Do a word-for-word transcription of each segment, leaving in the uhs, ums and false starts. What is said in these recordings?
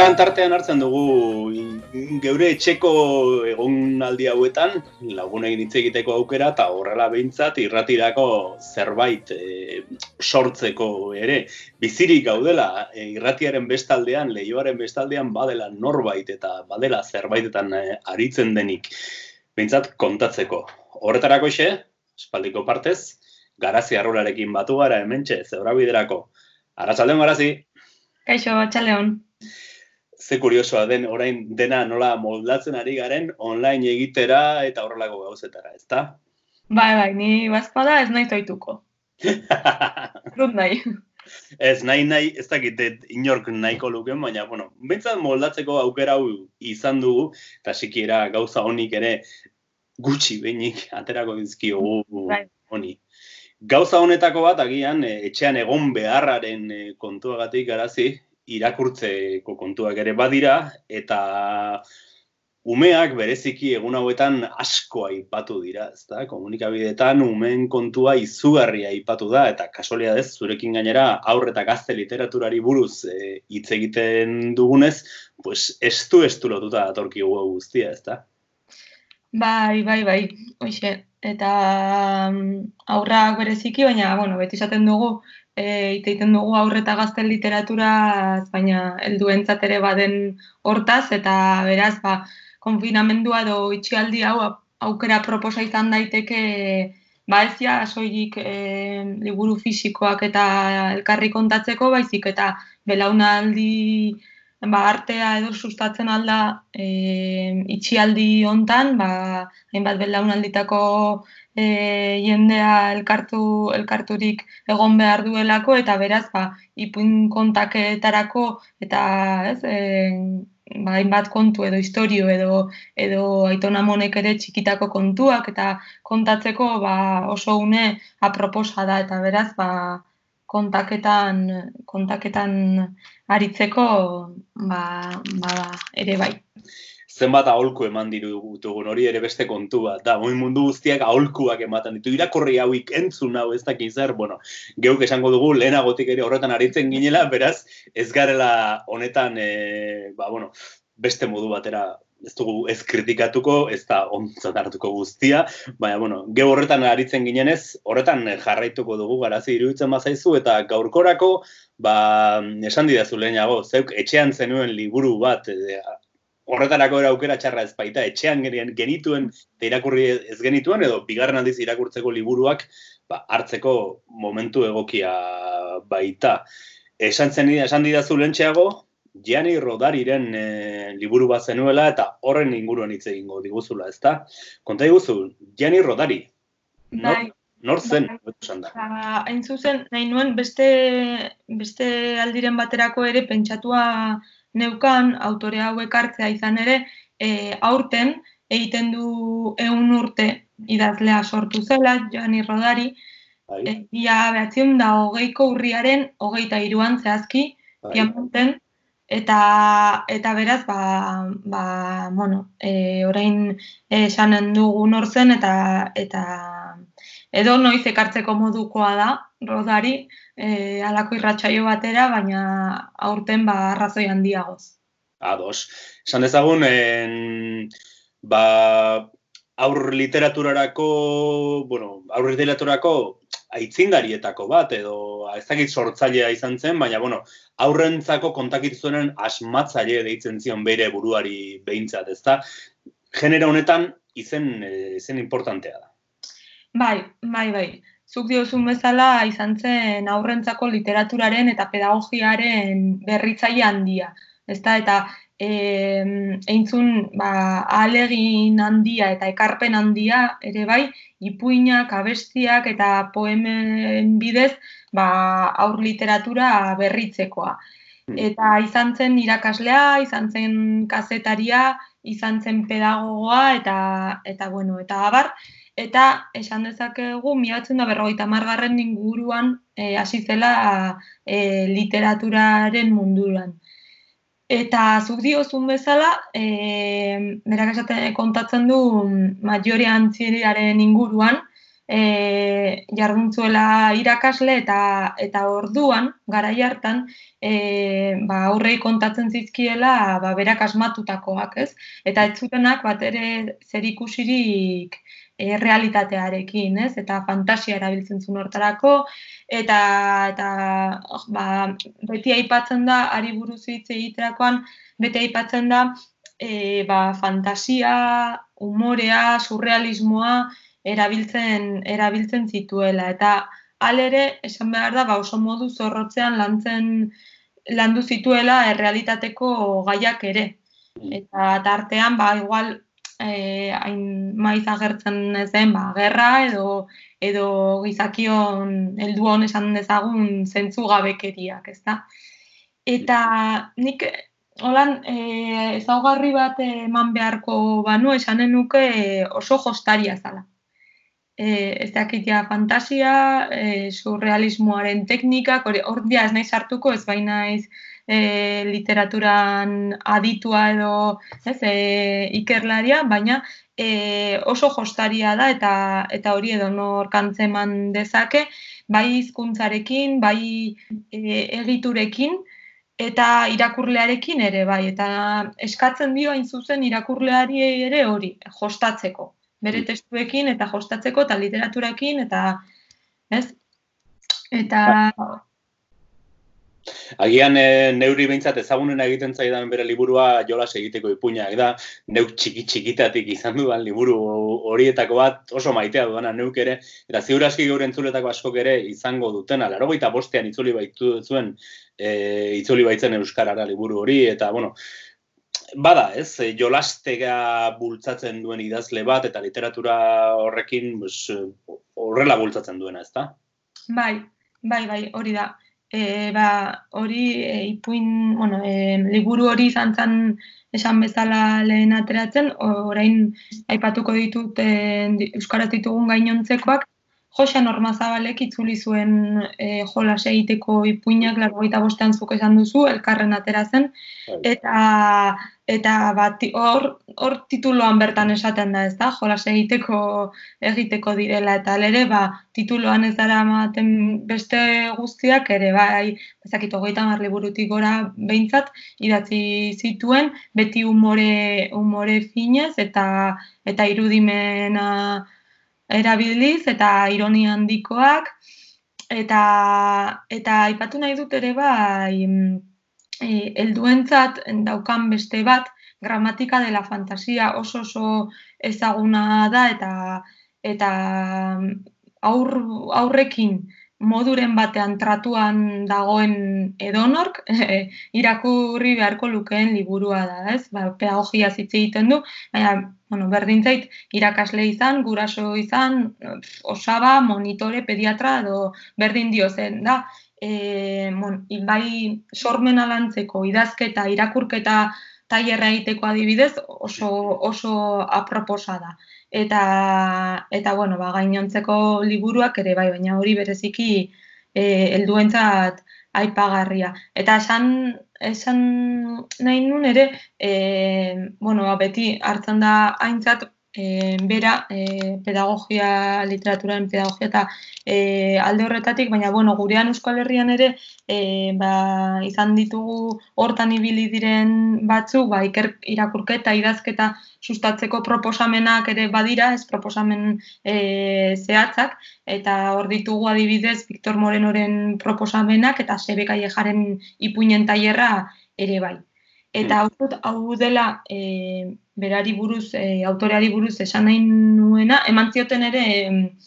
Tartean, tartean hartzen dugu geure etxeko egonaldi hauetan lagunekin hitz egiteko aukera eta horrela behintzat irratirako zerbait e, sortzeko ere. Bizirik gaudela e, irratiaren bestaldean, leioaren bestaldean badela norbait eta badela zerbaitetan e, aritzen denik behintzat kontatzeko. Horretarako xe, espaldiko partez, Garazi Arrularekin batu gara hementxe, Zebrabiderako. Arratsaldeon Garazi. Kaixo, arratsaldeon. Ze kuriosoa den orain dena nola moldatzen ari garen online egitera eta horrelako gauzetara, ezta? Bai, bai, ni bazpada ez nahi toituko. Rut nahi. Ez nahi nahi, ez dakit inork nahiko luken, baina, bueno, behintzat moldatzeko aukera hau izan dugu, eta sikiera gauza honik ere gutxi behinik aterako dizkiogu honi. Gauza honetako bat, agian, etxean egon beharraren kontuagatik Garazi, irakurtzeko kontuak ere badira, eta umeak bereziki egun hauetan asko aipatu dira, ezta? Komunikabideetan umeen kontua izugarria aipatu da, eta kasualidadez zurekin gainera aurre eta gazte literaturari buruz hitz e, egiten dugunez, pues estu estu lotuta datorkigu guztia, ezta? Bai, bai, bai, hoixe. Eta aurrak bereziki, baina, bueno, beti esaten dugu, e, iteiten dugu aurre eta gazte literaturaz, baina helduentzat ere baden hortaz, eta beraz, ba, konfinamendua edo itxialdi hau aukera proposa izan daiteke, ba ez ja soilik e, liburu fisikoak eta elkarri kontatzeko, baizik eta belaunaldi ba, artea edo sustatzen alda e, itxialdi hontan, ba, hainbat belaunalditako e, jendea elkartu, elkarturik egon behar duelako, eta beraz, ba, ipuin kontaketarako, eta ez, e, ba, hainbat kontu edo istorio edo, edo Aiton Amonek ere txikitako kontuak, eta kontatzeko ba, oso une aproposa da, eta beraz, ba, kontaketan, kontaketan aritzeko ba, ba, ere bai. Zenbat aholku eman ditugun hori ere beste kontu bat, da, oin mundu guztiak aholkuak ematen ditu, irakurri hauik entzun hau ez dakin zer, bueno, geuk esango dugu lehenagotik ere horretan aritzen ginela, beraz, ez garela honetan, e, ba, bueno, beste modu batera, ez dugu ez kritikatuko, ez da ontzat hartuko guztia, baina, bueno, geu horretan aritzen ginenez, horretan jarraituko dugu Garazi iruditzen bazaizu, eta gaurkorako, ba, esan didazu lehenago, zeuk etxean zenuen liburu bat, e, horretarako era aukera txarra ez baita, etxean genituen, eta irakurri ez genituen, edo bigarren aldiz irakurtzeko liburuak, ba, hartzeko momentu egokia baita. Esan zen esan didazu lehentxeago, Gianni Rodariren e, liburu bat zenuela eta horren inguruan hitz egingo diguzula, ezta? Konta diguzu, Gianni Rodari. Nor, bai, nor zen? Bai. Hain zuzen, nahi nuen beste, beste aldiren baterako ere pentsatua neukan, autore hauek hartzea izan ere, e, aurten egiten du ehun urte idazlea sortu zela, Gianni Rodari, bai. e, ia behatziun da hogeiko urriaren hogeita hiruan zehazki, bai. Piamonten, Eta, eta beraz, ba, ba, bueno, e, orain esanen dugu nor zen, eta, eta edo noiz ekartzeko modukoa da, Rodari, e, halako irratsaio batera, baina aurten ba, arrazoi handiagoz. Ados. Esan dezagun, en, ba, aur literaturarako, bueno, aur literaturarako aitzindarietako bat, edo ez dakit sortzailea izan zen, baina, bueno, aurrentzako kontakitzuenen asmatzaile deitzen zion bere buruari behintzat, ezta? Genera honetan izen, izen importantea da. Bai, bai, bai. Zuk diozun bezala izan zen aurrentzako literaturaren eta pedagogiaren berritzaile handia, ezta? Eta e, eintzun ba, ahalegin handia eta ekarpen handia ere bai, ipuinak, abestiak eta poemen bidez ba, aur literatura berritzekoa. Eta izan zen irakaslea, izan zen kazetaria, izan zen pedagogoa eta, eta, bueno, eta abar. Eta esan dezakegu, mila bederatziehun eta berrogeita hamargarren inguruan hasi e, zela e, literaturaren munduan. Eta zuk diozun bezala, e, berak esaten kontatzen du Maggiore Antziriaren inguruan, e, jarduntzuela irakasle eta eta orduan, garai hartan, e, ba, aurrei kontatzen zizkiela ba, berak asmatutakoak, ez? Eta ez zutenak bat ere zerikusirik e, realitatearekin, ez? Eta fantasia erabiltzen zuen hortarako, eta, eta ba, beti aipatzen da, ari buruz hitz egiterakoan, beti aipatzen da, e, ba, fantasia, umorea, surrealismoa erabiltzen, erabiltzen zituela. Eta halere, esan behar da, ba, oso modu zorrotzean lantzen, landu zituela errealitateko gaiak ere. Eta tartean, ba, igual, eh, hain maiz agertzen ez den, ba, gerra edo edo gizakion helduon esan dezagun zentzugabekeriak, ezta? Eta nik holan eh, ezaugarri bat eman beharko banu esanen nuke oso jostaria zala. Eh, ez dakit ja fantasia, eh, surrealismoaren teknikak, hor dia ez naiz hartuko, ez baina naiz e, literaturan aditua edo ez, e, ikerlaria, baina e, oso jostaria da eta eta hori edo nor kantzeman dezake, bai hizkuntzarekin, bai e, egiturekin, eta irakurlearekin ere, bai, eta eskatzen dio hain zuzen irakurleari ere hori, jostatzeko. Bere testuekin eta jostatzeko eta literaturakin eta, ez? Eta... Agian e, neuri behintzat ezagunena egiten zaidan bere liburua jolas egiteko ipuinak da, neuk txiki-txikitatik izan dudan liburu horietako bat oso maitea dudana neuk ere, eta ziur aski gaur entzuletako askok ere izango dutena, laurogeita bostean itzuli baitu zuen, e, itzuli baitzen euskarara liburu hori, eta, bueno, bada, ez, jolastega bultzatzen duen idazle bat, eta literatura horrekin pues, horrela bultzatzen duena, ez da? Bai, bai, bai, hori da. E, ba, hori e, ipuin, bueno, e, liburu hori izan zen esan bezala lehen ateratzen, orain aipatuko ditut e, euskaraz ditugun gainontzekoak, Joxan Ormazabalek itzuli zuen e, jolas egiteko ipuinak laurogeita bostean zuk esan duzu, elkarren atera zen, eta eta bat hor hor tituloan bertan esaten da, ezta? Jolas egiteko egiteko direla eta ere ba tituloan ez dara ematen beste guztiak ere bai, ezakit hogeita hamar liburutik gora behintzat idatzi zituen, beti umore umore finez eta eta irudimena erabiliz eta ironia handikoak eta eta aipatu nahi dut ere bai e, helduentzat daukan beste bat gramatika de la fantasia oso oso ezaguna da eta eta aur, aurrekin moduren batean tratuan dagoen edonork e, irakurri beharko lukeen liburua da, ez? Ba, pedagogia hitz egiten du, baina bueno, berdin zait irakasle izan, guraso izan, osaba, monitore, pediatra edo berdin dio zen da. E, bon, bai sormena lantzeko idazketa, irakurketa tailerra egiteko adibidez oso oso aproposa da. Eta eta bueno, ba gainontzeko liburuak ere bai, baina hori bereziki eh helduentzat aipagarria. Eta esan esan nahi nun ere eh bueno, ba, beti hartzen da aintzat e, bera e, pedagogia, literaturaren pedagogia eta e, alde horretatik, baina bueno, gurean Euskal Herrian ere e, ba, izan ditugu hortan ibili diren batzuk, ba, iker, irakurketa, idazketa sustatzeko proposamenak ere badira, ez proposamen e, zehatzak, eta hor ditugu adibidez Victor Morenoren proposamenak eta Sebe Kallejaren ipuinen tailerra ere bai. Eta hau, hau dela e, berari buruz, e, autoreari buruz esan nahi nuena, eman zioten ere e,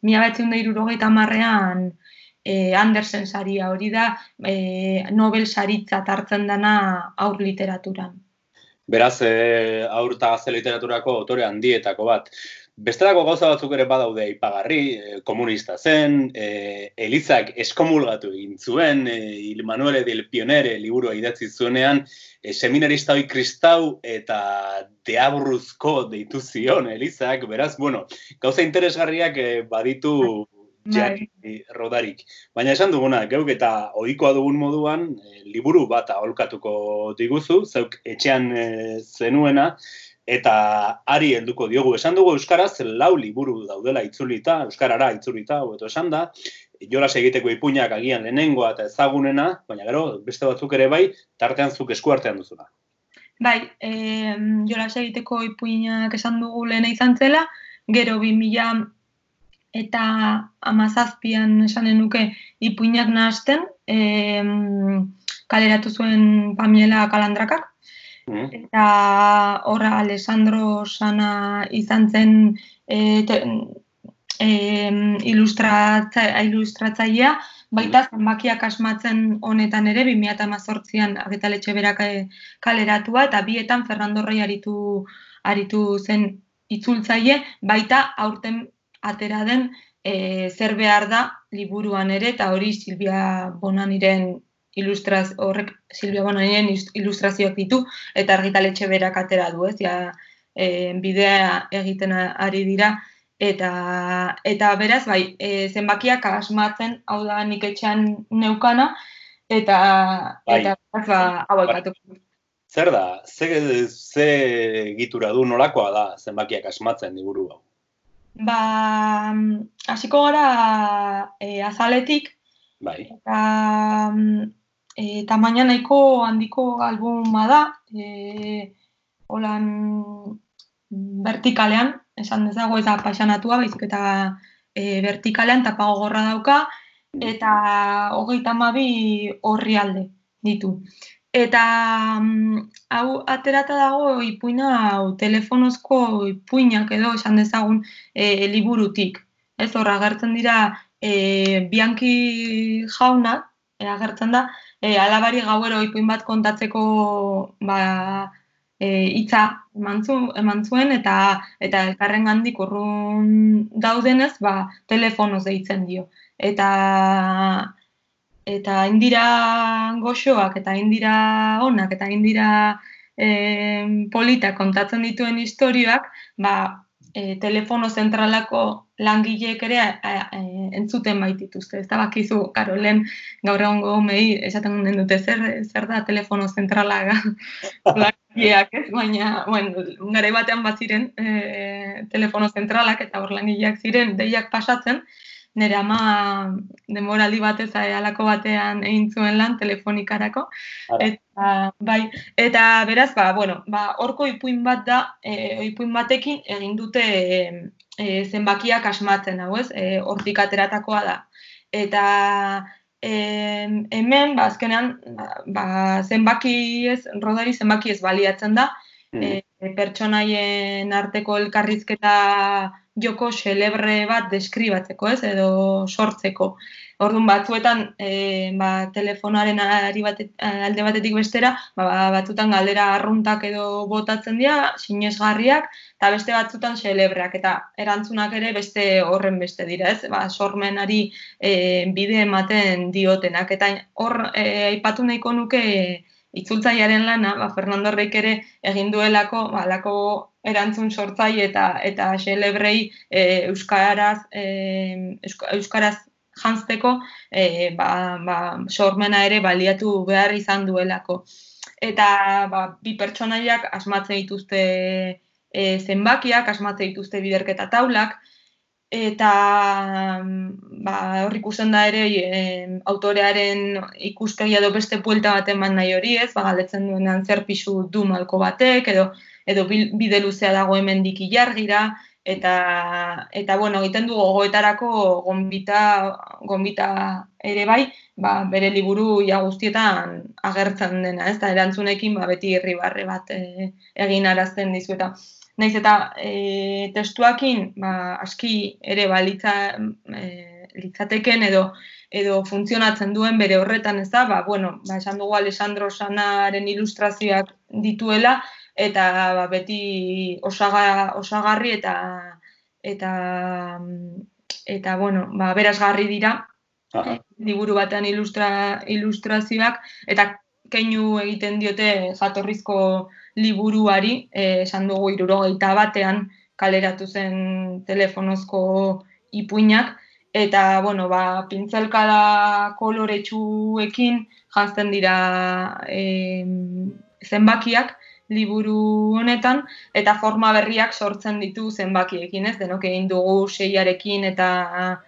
mila bederatziehun eta hirurogeita hamarrean e, Andersen saria, hori da e, Nobel saritzat hartzen dana haur literaturan. Beraz, e, haur eta gazte literaturako autore handietako bat. Bestelako gauza batzuk ere badaude aipagarri, e, komunista zen, e, Elizak eskomulgatu egin zuen, e, Il Manuele del Pionere liburua idatzi zuenean, e, seminarista hoi kristau eta deabruzko deitu zion Elizak, beraz, bueno, gauza interesgarriak e, baditu Gianni Rodarik. Baina esan duguna, geuk eta ohikoa dugun moduan, e, liburu bat aholkatuko diguzu, zeuk etxean e, zenuena, eta ari helduko diogu. Esan dugu euskaraz lau liburu daudela itzulita, euskarara itzulita, hobeto esan da, jolas egiteko ipuinak agian lehenengoa eta ezagunena, baina gero beste batzuk ere bai, tartean zuk eskuartean duzuna. Bai, e, jolas egiteko ipuinak esan dugu lehena izan zela, gero bi mila eta hamazazpian esanen nuke ipuinak nahasten, e, kaleratu zuen Pamiela Kalandrakak, mm. eta horra Alessandro Sana izan zen e, te, e, ilustratza, ilustratzailea, baita zenbakiak asmatzen honetan ere, bi mila hamazortzian Argitaletxe berak kaleratua, eta bietan Fernando Rey aritu, aritu zen itzultzaile, baita aurten atera den e, zer behar da liburuan ere, eta hori Silvia Bonaniren ilustraz, horrek Silvia Bonaniren ilustrazioak ditu, eta Argitaletxe berak atera du, ez, ja, e, bidea egiten ari dira, eta eta beraz, bai, e, zenbakiak asmatzen, hau da nik etxean neukana, eta, bai, eta beraz, ba, hau aipatuko. Zer da, ze, ze egitura du nolakoa da zenbakiak asmatzen liburu hau? Ba, hasiko gara e, azaletik, bai. Eta e, tamaina nahiko handiko albuma da, e, holan vertikalean, esan dezago ez da paisanatua, baizik eta e, vertikalean tapa gogorra dauka, eta hogeita hamabi orrialde ditu. Eta hau aterata dago ipuina, hau telefonozko ipuinak edo esan dezagun e, liburutik. Ez horra agertzen dira e, Bianchi jauna, e, agertzen da, e, alabari gauero ipuin bat kontatzeko ba, e, hitza eman zuen eta eta elkarrengandik urrun daudenez, ba, telefonoz deitzen dio. Eta eta indira goxoak, eta indira onak, eta indira e, polita kontatzen dituen istorioak, ba, e, telefono zentralako langileek ere e, e, entzuten baitituzte. Ez da bakizu, karo, lehen gaur egongo mei esaten den dute zer, zer da telefono zentrala langileak, ez? Baina, bueno, garai batean bat ziren e, telefono zentralak eta hor langileak ziren deiak pasatzen, nire ama denboraldi batez halako batean egin zuen lan telefonikarako. Eta, bai, eta beraz, ba, bueno, ba, horko ipuin bat da, e, ipuin batekin egin dute e, e, zenbakiak asmatzen, hau ez, e, hortik ateratakoa da. Eta e, hemen, ba, azkenean, ba, zenbaki ez, rodari zenbaki ez baliatzen da, e, pertsonaien arteko elkarrizketa joko xelebre bat deskribatzeko, ez, edo sortzeko. Orduan batzuetan e, ba, telefonaren ari batet, alde batetik bestera, ba, batzutan galdera arruntak edo botatzen dira, sinesgarriak, eta beste batzutan xelebreak, eta erantzunak ere beste horren beste dira, ez? Ba, sormenari e, bide ematen diotenak, eta hor e, aipatu nahiko nuke itzultzailearen lana, ba, Fernando Reyk ere egin duelako, ba, lako erantzun sortzaile eta eta xelebrei e, euskaraz e, euskaraz janzteko e, ba, ba, sormena ere baliatu behar izan duelako. Eta ba, bi pertsonaiak asmatzen dituzte e, zenbakiak, asmatzen dituzte biderketa taulak, eta ba, hor ikusten da ere e, autorearen ikuspegia edo beste buelta bat eman nahi hori, ez, ba, galdetzen duenean zer pisu du malko batek, edo edo bide luzea dago hemendik ilargira, eta, eta bueno, egiten du gogoetarako gonbita, gonbita ere bai, ba, bere liburu ia guztietan agertzen dena, ez da, erantzunekin ba, beti irribarre bat e, egin arazten dizu, eta naiz eta e, testuakin ba, aski ere balitza e, litzateken edo edo funtzionatzen duen bere horretan, ez da, ba, bueno, ba, esan dugu Alessandro Sanaren ilustrazioak dituela, eta ba, beti osaga, osagarri eta eta eta bueno, ba, berazgarri dira. Aha. Liburu batean ilustra, ilustrazioak eta keinu egiten diote jatorrizko liburuari, eh, esan dugu hirurogeita batean kaleratu zen telefonozko ipuinak, eta bueno, ba, pintzelkada koloretsuekin janzten dira eh, zenbakiak, liburu honetan, eta forma berriak sortzen ditu zenbakiekin, ez? Denok egin dugu seiarekin eta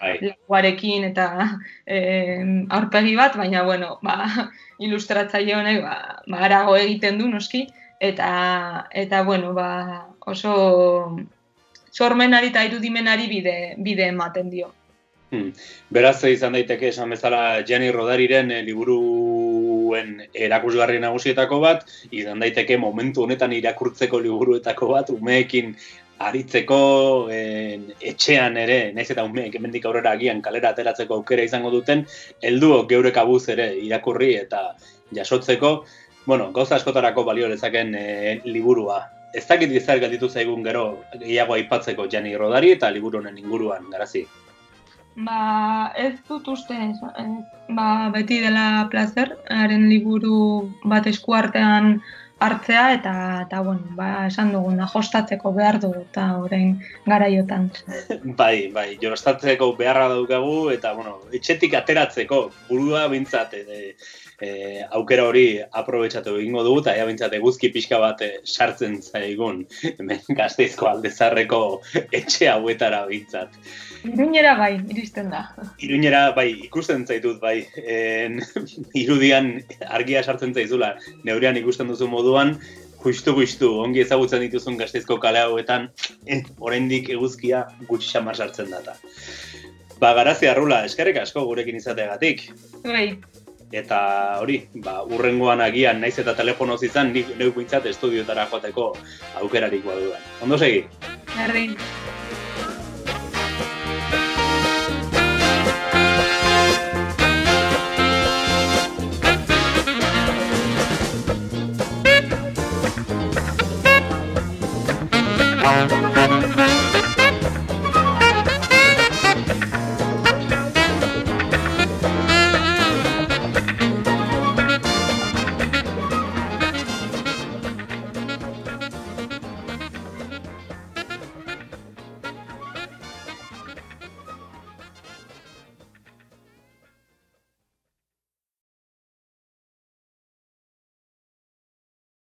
lauarekin eta e, aurpegi bat, baina, bueno, ba, ilustratzaile honek ba, ba, arago egiten du, noski, eta, eta bueno, ba, oso sormenari eta irudimenari bide, bide ematen dio. Hmm. Beraz, izan daiteke esan bezala Gianni Rodariren e, liburuen erakusgarri nagusietako bat, izan daiteke momentu honetan irakurtzeko liburuetako bat, umeekin aritzeko en, etxean ere, naiz eta umeek hemendik aurrera agian kalera ateratzeko aukera izango duten, helduok geure kabuz ere irakurri eta jasotzeko, bueno, gauza askotarako balio lezaken e, liburua. Ez dakit izar galditu zaigun gero gehiago aipatzeko Gianni Rodari eta liburu honen inguruan, Garazi? Ba, ez dut uste, ez, ba, beti dela plazer, haren liburu bat eskuartean hartzea, eta, eta bueno, ba, esan duguna, jostatzeko behar dugu, eta orain garaiotan. Bai, bai, jostatzeko beharra daukagu, eta, bueno, etxetik ateratzeko, burua bintzat, e, e, aukera hori aprobetxatu egingo dugu, eta ea bintzat eguzki pixka bat e, sartzen zaigun, hemen Gasteizko Aldezarreko etxe hauetara bintzat. Iruñera bai, iristen da. Iruñera bai, ikusten zaitut bai, en, irudian argia sartzen zaizula, neurean ikusten duzu moduan, justu-justu, ongi ezagutzen dituzun Gasteizko kale hauetan, eh, oraindik eguzkia gutxi xamar sartzen data. Ba, Garazi Arrula, eskerrik asko gurekin izateagatik. Bai. Eta hori, ba, urrengoan agian naiz eta telefonoz izan, nik neuk bintzat estudiotara joateko aukerarik badudan. Ondo segi? Berdin. Thank you.